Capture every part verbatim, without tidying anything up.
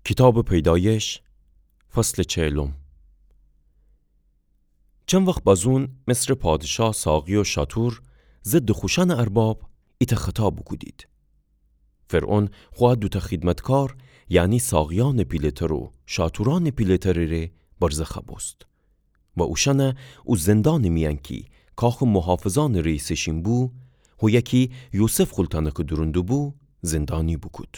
کیتابٚ پیدایش، فصلٚ چهلم. چند وخت بازون مصرٚ پادشاه ساقی و شاتور ضدٚ خوشأنٚ ارباب ایتأ خطا بوکودید. فرعون خو ا دوتأ خیدمتکار، یعنی ساقیأنٚ پیله‌تر و شاتورأنٚ پیله‌ترٚ ره برزخ بوست و اوشأن او زندانٚ میأن کی کاخٚ محافظأنٚ رئیسٚ شین بو، هویه کی یوسف خول تأنکٚ دورون دوبو، زندانی بوکود.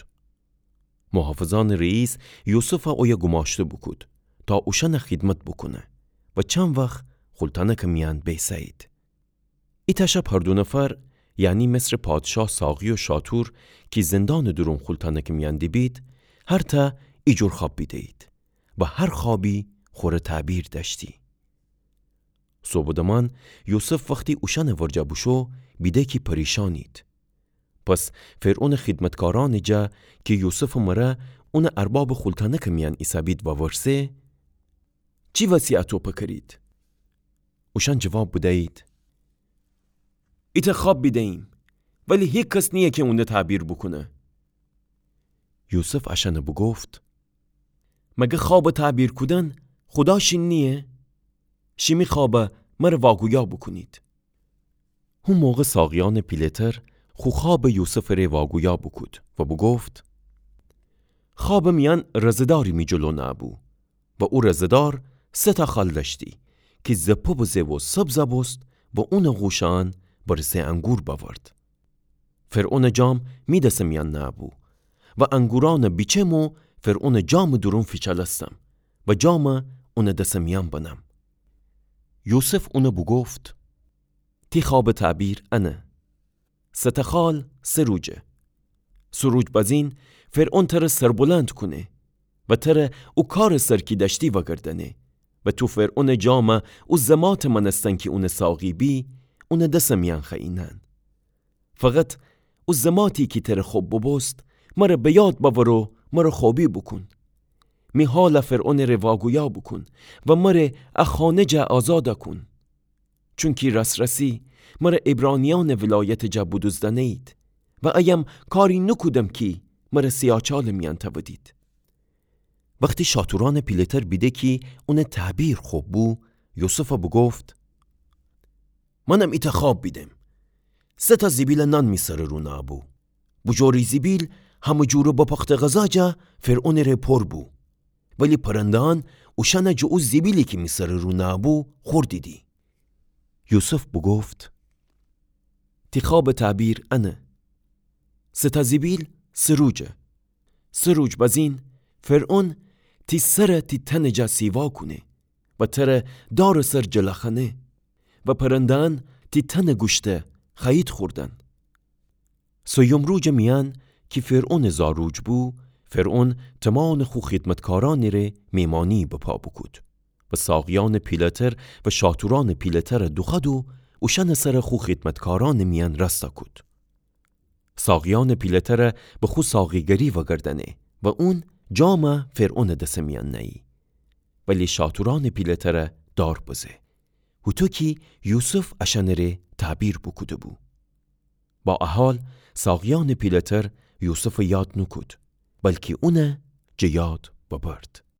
محافظأنٚ رئیس یوسف اویه گوماشته بوکود تا اوشأن خیدمت بوکونه و چند وخت خول تأنکٚ میأن بیسه‌یید. ایتأ شب هر دو نفر، یعنی مصرٚ پادشاه ساقی و شاتور کی زندانٚ دورون خول تأنکٚ میأن دیبید، هر تأ ایجور خوأب بیده‌یید و هر خوأبی خوره تعبیر دأشتی. صبحٚ دمان یوسف وختی اوشأنٚ ورجه بوشو، بیده کی پریشانید. پس فرعونٚ خیدمتکارأنٚ جا کی یوسفٚ مره اونٚ اربابٚ خول تأنکٚ میأن ایسه‌بید وورسه: چی وسی اَتو پکرید؟ اوشأن جواب بدیید: ایتأ خوأب بیده‌ییم، ولی هیکس نییه کی اون تعبیر بوکونه. یوسف اشأن بوگفت: مگر خوأب تعبیر کودن خودا شین نییه؟ شیمی خوأب مره واگویا بوکونید. هو موقع ساقیأنٚ پیله‌تر خو خوأب یوسفٚ ره واگویا بوکود و بوگفت: خوأبٚ میأن رزه‌داری می جلو نه‌بو و او رزه‌دار سه تأ خال دأشتی کی زپه بزه و سبز بوست و اونٚ غوشأن برسه انگور بأورد. فرعونٚ جام می دسٚ میأن نه‌بو و انگورأن بیچم و فرعونٚ جامٚ دورون فیچلستم و جام اونٚ دسٚ میأن بنم. یوسف اون بوگفت: تی خوأبٚ تعبیر انه: سه تأ خال سه روجه. سه روج بزین فرعون تر سربلند کونه و تر او کارٚ سر کی دأشتی وگردأنه و تو فرعونٚ جام او زماتٚ مأنستن کی اونٚ ساقی بی، اونٚ دسٚ میأن خوأیینأن. فقط او زماتی کی تر خب ببوست، مره به یاد بأور و مره خوبی بوکون. می حال فرعونٚ ره واگویا بوکون و مره ا خانه جا آزاد کون. چونکی راس‌راسی مره عبرانیأنٚ ولایتٚ جا بودوزدأنه‌یید و ایم کاری نوکودم کی مره سیاچالٚ میأن تأودید. وختی شاتورأنٚ پیله‌تر بیده کی اونٚ تعبیر خب بو، یوسف بوگفت: منم ایتأ خوأب بیدم. سه تأ زیبیلٚ نان می سرٚ رو نه‌بو. بوجورٚ زیبیل همه جورٚ بپخته غذا جا فرعونٚ ره پر بو. ولی پرنده‌یأن اوشأن جٚه او زیبیلی کی می سرٚ رو نه‌بو خوردیدی. یوسف بوگفت: تی خوأبٚ تعبیر انه: سه تأ زیبیل سه روجه. سه روج بزین فرعون تی سر تی تنٚ جا سیوا کونه و تر دارٚ سر جلخأنه و پرنده‌یأن تی تنٚ گوشته خوأیید خوردن. سیم روجٚ میأن کی فرعونٚ زا روج بو، فرعون تمانٚ خو خیدمتکارأنٚ ره میمانی بپا بوکود و ساقیأنٚ پیله‌تر و شاتورأنٚ پیله‌تر دوخوأد و اوشأنٚ سر خو خیدمتکارأنٚ میأن رأستا کود. ساقیأنٚ پیله‌تر به خو ساقیگری وگردأنه و اون جام فرعونٚ دسٚ میأن نأیی. ولی شاتورأنٚ پیله‌تر دار بزه، هوطو کی یوسف اشأنٚ ره تعبیر بوکوده‌بو. با ا حال ساقیأنٚ پیله‌تر یوسف یاد نوکود، بلکی اون جٚه یاد ببرد.